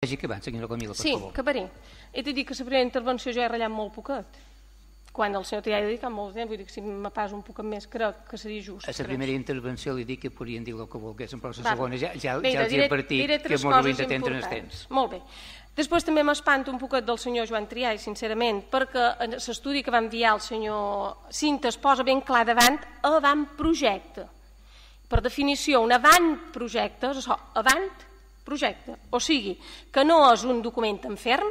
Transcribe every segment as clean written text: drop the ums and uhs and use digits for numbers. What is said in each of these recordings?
Vagi acabant, senyora Camila, per Sí, favor. acabaré. He de dir que la primera intervenció jo he ratllat molt poquet. Quan el senyor Trià ha dedicat molt temps, vull dir que si me pas un poquet més crec que seria just. A la primera intervenció li dic que podrien dir el que volguessin, però a la Va. segona ja Mira, els he advertit diré que tres molt sovint coses atenten el importants. temps. Molt bé. Després també m'espanto un poquet del senyor Joan Trià, sincerament, perquè en l'estudi que va enviar el senyor Cinta es posa ben clar davant avantprojecte. Per definició, un avantprojecte és això, avantprojecte. O sigui, que no és un document en ferm,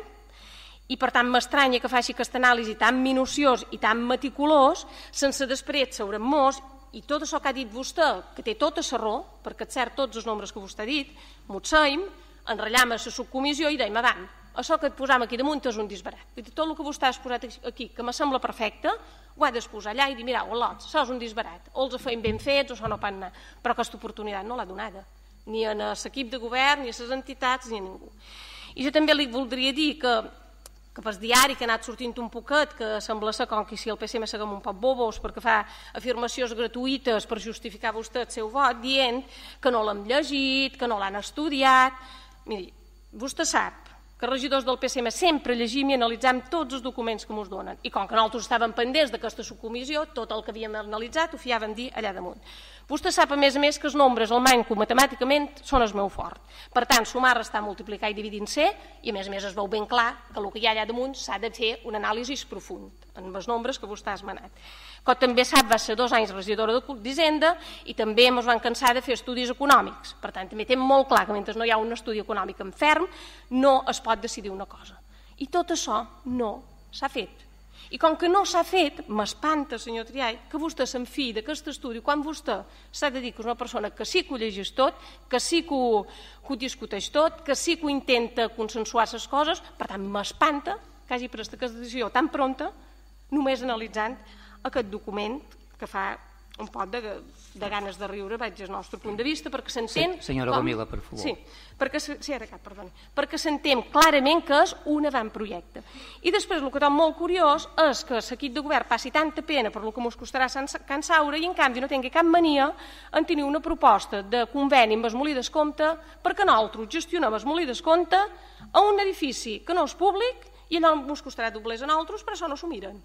i per tant m'estranya que faci aquesta anàlisi tan minuciós i tan meticulós sense després saber molts, i tot això que ha dit vostè, que té tota la raó, perquè és cert tots els nombres que vostè ha dit, motseim, enratllam a la subcomissió i dèiem, avant, això que et posam aquí damunt és un disbarat. Tot el que vostè ha exposat aquí, que me sembla perfecte, ho ha d'exposar allà i dir, mirau, al·lots, això és un disbarat, o els feim ben fets, o això no pot anar, però aquesta oportunitat no l'ha donada, ni a l'equip de govern, ni a les entitats, ni a ningú. I jo també li voldria dir que pel diari que ha anat sortint un poquet, que sembla ser com que si el PSM seguim un poc bobos perquè fa afirmacions gratuïtes per justificar vostè el seu vot, dient que no l'hem llegit, que no l'han estudiat. Miri, vostè sap que els regidors del PSM sempre llegim i analitzam tots els documents que ens donen. I com que nosaltres estàvem pendents d'aquesta subcomissió, tot el que havíem analitzat ho fiàvem dir allà damunt. Vostè sap, a més, que els nombres, el manco matemàticament, són el meu fort. Per tant, sumar, restar, multiplicar i dividir en C, i a més es veu ben clar que el que hi ha allà damunt s'ha de fer un anàlisi profund en els nombres que vostè ha esmenat. Com també sap, va ser 2 anys regidora d'Hisenda i també ens van cansar de fer estudis econòmics. Per tant, també té molt clar que mentre no hi ha un estudi econòmic en ferm no es pot decidir una cosa. I tot això no s'ha fet. I com que no s'ha fet, m'espanta, senyor Triay, que vostè s'enfiï d'aquest estudi quan vostè s'ha de dir que és una persona que sí que ho llegeix tot, que sí que ho discuteix tot, que sí que ho intenta consensuar les coses. Per tant, m'espanta que hagi pres aquesta decisió tan pronta només analitzant aquest document que fa un pot de ganes de riure, vaig al nostre punt de vista, perquè s'entén... Senyora Camila, per favor. Sí, perquè s'entén clarament que és un avantprojecte. I després, el que és molt curiós és que l'equip de govern passi tanta pena per el que ens costarà Can Saura i, en canvi, no tingui cap mania en tenir una proposta de conveni amb el Molí d'Escompte perquè nosaltres gestionem el Molí d'Escompte a un edifici que no és públic i no ens costarà doblers a nosaltres, però això no s'ho miren.